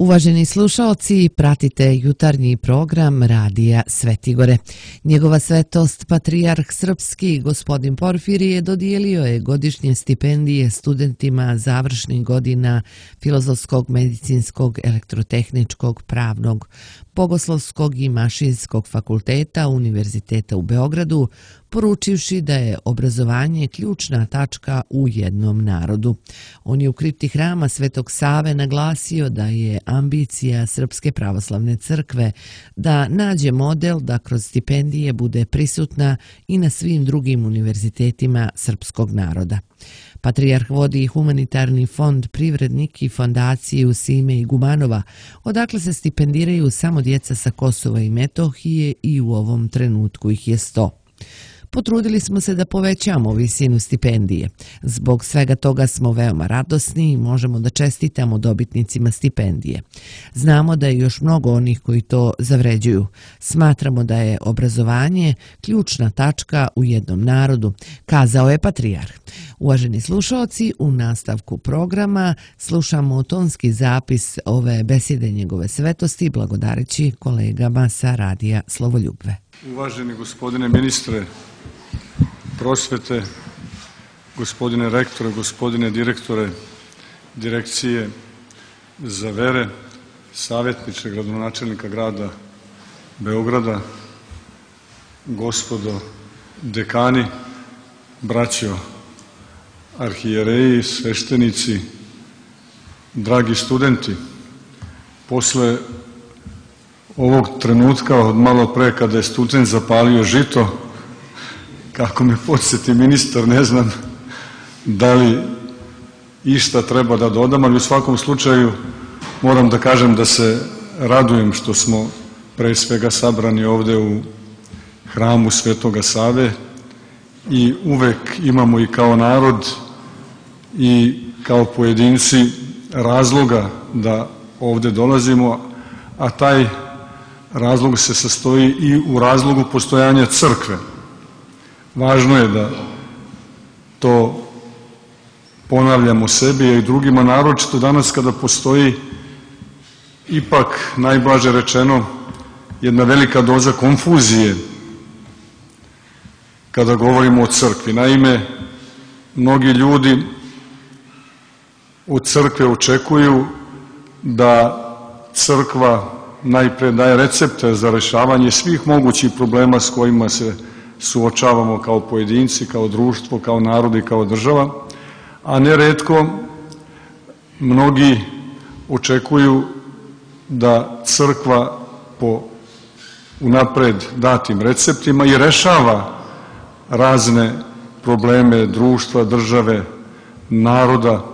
Uvaženi slušaoci, pratite jutarnji program Radija Svetigore. Njegova svetost, patrijarh srpski, gospodin Porfirije, dodijelio je godišnje stipendije studentima završnih godina Filozofskog, Medicinskog, Elektrotehničkog, Pravnog, Bogoslovskog i Mašinskog fakulteta Univerziteta u Beogradu, poručivši da je obrazovanje ključna tačka u jednom narodu. On je u kripti hrama Svetog Save naglasio da je ambicija Srpske pravoslavne crkve da nađe model da kroz stipendije bude prisutna i na svim drugim univerzitetima srpskog naroda. Patrijarh vodi humanitarni fond Privrednik i fondaciju Sime i Gumanova, odakle se stipendiraju samo djeca sa Kosova i Metohije i u ovom trenutku ih je 100. Potrudili smo se da povećamo visinu stipendije. Zbog svega toga smo veoma radosni i možemo da čestitamo dobitnicima stipendije. Znamo da je još mnogo onih koji to zavređuju. Smatramo da je obrazovanje ključna tačka u jednom narodu, kazao je patrijarh. Uvaženi slušaoci, u nastavku programa slušamo tonski zapis ove besede njegove svetosti, blagodareći kolegama sa Radija Slovoljubve. Uvaženi gospodine ministre prosvete, gospodine rektore, gospodine direktore Direkcije za vere, savjetniče gradonačelnika grada Beograda, gospodo dekani, braćo arhijereji, sveštenici, dragi studenti, posle ovog trenutka od malo pre kada je student zapalio žito, kako me podsjeti ministar, ne znam da li išta treba da dodam, ali u svakom slučaju moram da kažem da se radujem što smo pre svega sabrani ovde u hramu Svetoga Save i uvek imamo i kao narod i kao pojedinci razloga da ovde dolazimo, a taj razlog se sastoji i u razlogu postojanja crkve. Važno je da to ponavljamo sebi i drugima, naročito danas kada postoji ipak, najblaže rečeno, jedna velika doza konfuzije kada govorimo o crkvi. Naime, mnogi ljudi od crkve očekuju da crkva najpre daje recepte za rešavanje svih mogućih problema s kojima se suočavamo kao pojedinci, kao društvo, kao narod i kao država, a neretko mnogi očekuju da crkva po unapred datim receptima i rešava razne probleme društva, države, naroda,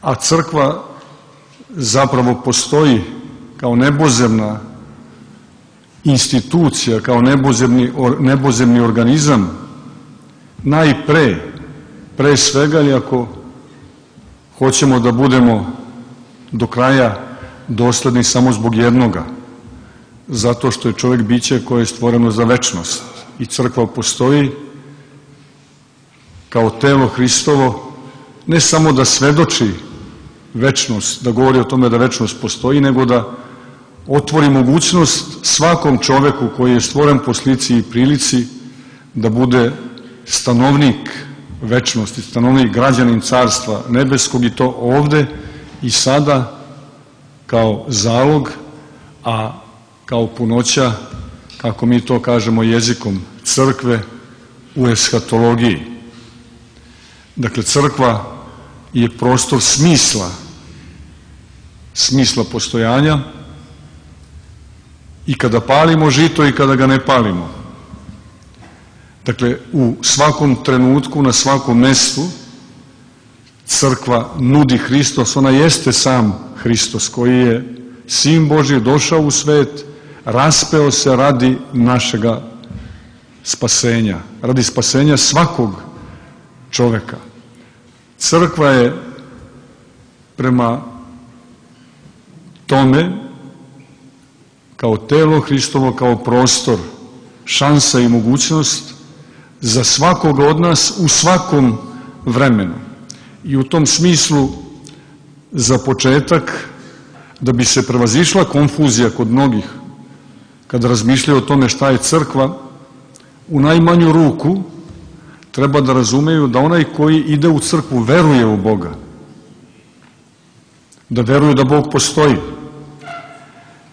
a crkva zapravo postoji kao nebozemna institucija, kao nebozemni organizam, pre svega, ali ako hoćemo da budemo do kraja dosledni samo zbog jednoga, zato što je čovjek biće koje je stvoreno za večnost i crkva postoji kao telo Hristovo, ne samo da svedoči večnost, da govori o tome da večnost postoji, nego da otvori mogućnost svakom čoveku koji je stvoren po slici i prilici da bude stanovnik večnosti, stanovnik, građanin Carstva nebeskog, i to ovde i sada kao zalog, a kao punoća, kako mi to kažemo jezikom crkve, u eshatologiji. Dakle, crkva je prostor smisla postojanja, i kada palimo žito i kada ga ne palimo. Dakle, u svakom trenutku, na svakom mestu, crkva nudi Hristos, ona jeste sam Hristos koji je Sin Božji, došao u svet, raspeo se radi našega spasenja, radi spasenja svakog čoveka. Crkva je prema tome, kao telo Hristovo, kao prostor, šansa i mogućnost za svakoga od nas u svakom vremenu. I u tom smislu za početak, da bi se prevazišla konfuzija kod mnogih kada razmišljaju o tome šta je crkva, u najmanju ruku treba da razumeju da onaj koji ide u crkvu veruje u Boga, da veruje da Bog postoji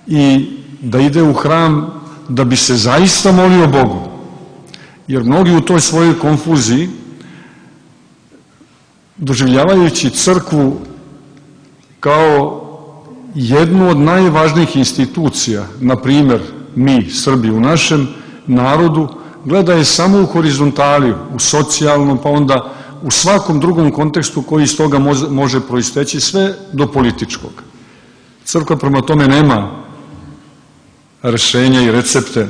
i da ide u hram da bi se zaista molio Bogu. Jer mnogi u toj svojoj konfuziji, doživljavajući crkvu kao jednu od najvažnijih institucija, na primjer mi, Srbi, u našem narodu, gledaju samo u horizontaliju, u socijalnom, pa onda u svakom drugom kontekstu koji iz toga može proisteći, sve do političkog. Crkva prema tome nema rešenja i recepte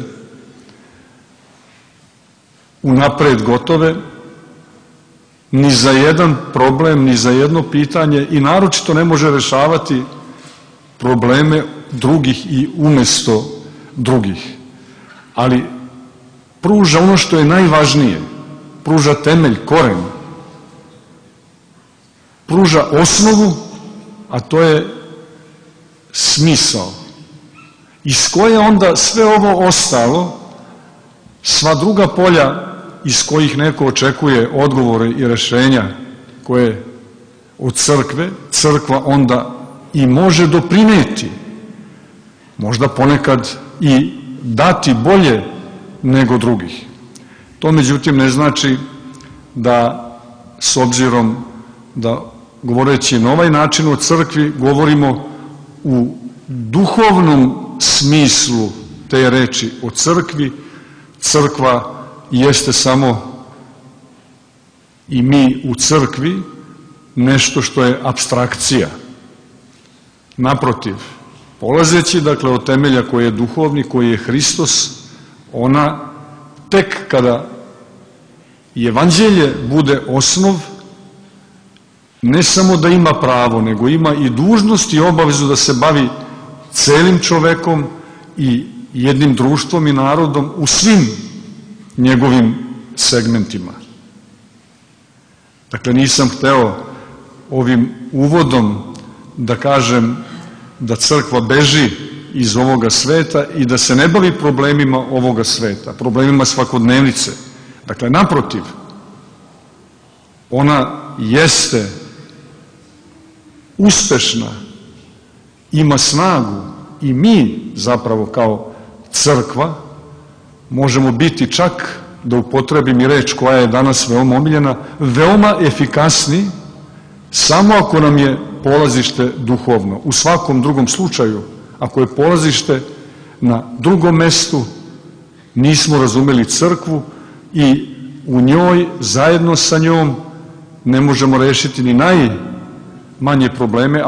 unapred gotove, ni za jedan problem, ni za jedno pitanje i naročito ne može rešavati probleme drugih i umesto drugih. Ali pruža ono što je najvažnije, pruža temelj, koren, pruža osnovu, a to je smisao, iz koje onda sve ovo ostalo, sva druga polja iz kojih neko očekuje odgovore i rešenja koje od crkve, crkva onda i može doprineti, možda ponekad i dati bolje nego drugih. To međutim ne znači da, s obzirom da govoreći na ovaj način o crkvi, govorimo u duhovnom smislu te reči o crkvi. Crkva jeste samo i mi u crkvi nešto što je apstrakcija. Naprotiv, polazeći dakle od temelja koji je duhovni, koji je Hristos, ona tek kada evanđelje bude osnov, ne samo da ima pravo, nego ima i dužnost i obavezu da se bavi celim čovekom i jednim društvom i narodom u svim njegovim segmentima. Dakle, nisam hteo ovim uvodom da kažem da crkva beži iz ovoga sveta i da se ne bavi problemima ovoga sveta, problemima svakodnevnice. Dakle, naprotiv, ona jeste uspešna, ima snagu i mi zapravo kao crkva možemo biti, čak da upotrebim i reč koja je danas veoma omiljena, veoma efikasni samo ako nam je polazište duhovno. U svakom drugom slučaju, ako je polazište na drugom mestu, nismo razumeli crkvu i u njoj, zajedno sa njom, ne možemo rešiti ni najmanje probleme,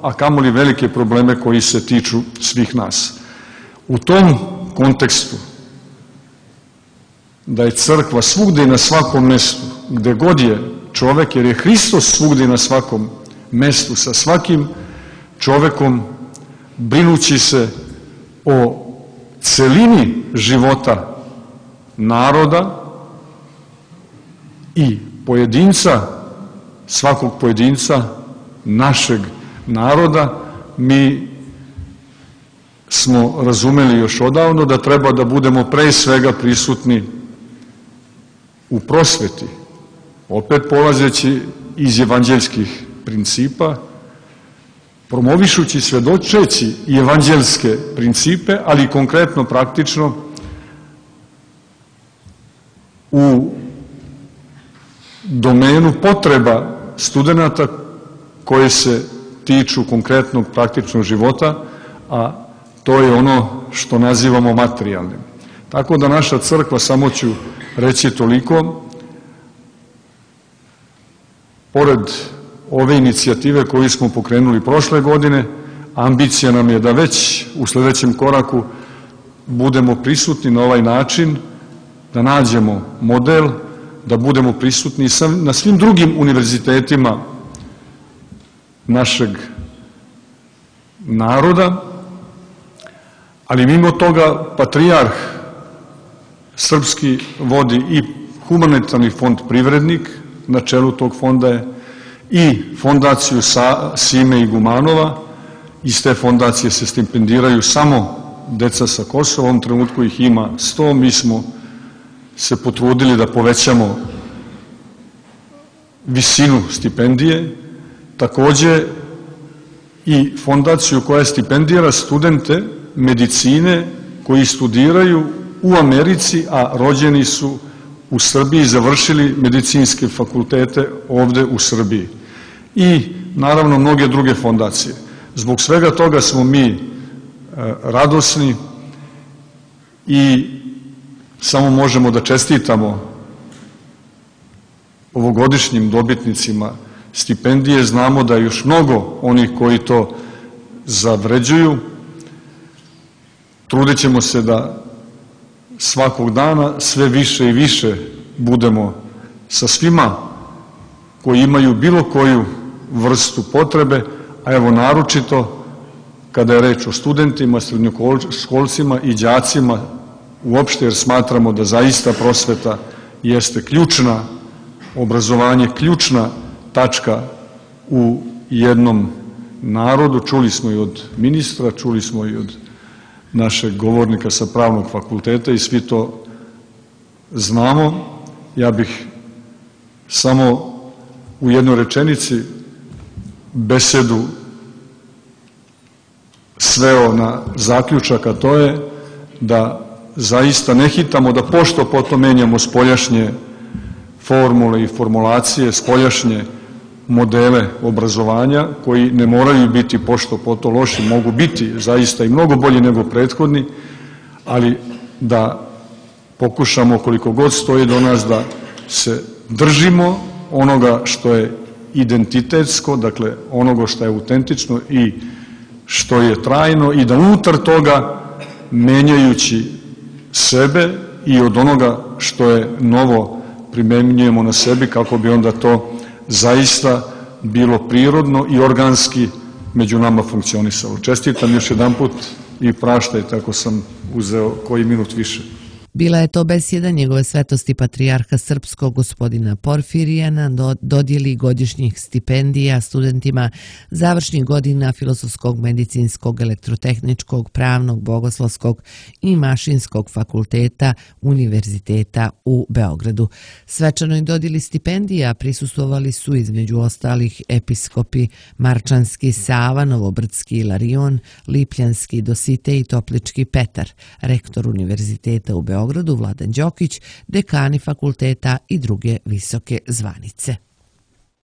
a kamoli velike probleme koji se tiču svih nas. U tom kontekstu, da je crkva svugde i na svakom mestu, gde god je čovek, jer je Hristos svugde i na svakom mestu, sa svakim čovekom, brinući se o celini života naroda i pojedinca, svakog pojedinca, našeg naroda, mi smo razumeli još odavno da treba da budemo pre svega prisutni u prosveti, opet polazeći iz evanđeljskih principa, promovišući, svedočeći i evanđelske principe, ali konkretno, praktično, u domenu potreba studenta koje se tiču konkretnog praktičnog života, a to je ono što nazivamo materijalnim. Tako da naša crkva, samo ću reći toliko, pored ove inicijative koju smo pokrenuli prošle godine, ambicija nam je da već u sledećem koraku budemo prisutni na ovaj način, da nađemo model, da budemo prisutni na svim drugim univerzitetima našeg naroda, ali mimo toga patrijarh srpski vodi i humanitarni fond Privrednik, na čelu tog fonda je i fondaciju Sime Igumanova. Iz te fondacije se stipendiraju samo deca sa Kosova, u ovom trenutku ih ima 100, mi smo se potrudili da povećamo visinu stipendije, takođe i fondaciju koja stipendira studente medicine koji studiraju u Americi, a rođeni su u Srbiji, završili medicinske fakultete ovde u Srbiji. I naravno mnoge druge fondacije. Zbog svega toga smo mi radosni i samo možemo da čestitamo ovogodišnjim dobitnicima stipendije. Znamo da je još mnogo onih koji to zavređuju. Trudit ćemo se da svakog dana sve više i više budemo sa svima koji imaju bilo koju vrstu potrebe, a evo naročito kada je reč o studentima, srednjoškolcima i đacima uopšte, jer smatramo da zaista prosveta jeste ključna, obrazovanje ključna tačka u jednom narodu. Čuli smo i od ministra, čuli smo i od našeg govornika sa pravnog fakulteta i svi to znamo. Ja bih samo u jednoj rečenici besedu sveo na zaključak, a to je da zaista ne hitamo da pošto potom menjamo spoljašnje formule i formulacije, spoljašnje modele obrazovanja koji ne moraju biti pošto poto loši, mogu biti zaista i mnogo bolji nego prethodni, ali da pokušamo koliko god stoji do nas da se držimo onoga što je identitetsko, dakle onoga što je autentično i što je trajno i da unutar toga menjajući sebe i od onoga što je novo primenjujemo na sebi kako bi onda to zaista bilo prirodno i organski među nama funkcionisalo. Čestitam još jedan put i praštajte ako sam uzeo koji minut više. Bila je to besjeda njegove svetosti patrijarha srpskog gospodina Porfirija na dodjeli godišnjih stipendija studentima završnih godina Filozofskog, Medicinskog, Elektrotehničkog, Pravnog, Bogoslovskog i Mašinskog fakulteta Univerziteta u Beogradu. Svečanoj dodjeli stipendija prisustvovali su između ostalih episkopi Marčanski Sava, Novobrdski Ilarion, Lipljanski Dositej i Toplički Petar, rektor Univerziteta u Beogradu Vladan Đokić, dekani fakulteta i druge visoke zvanice.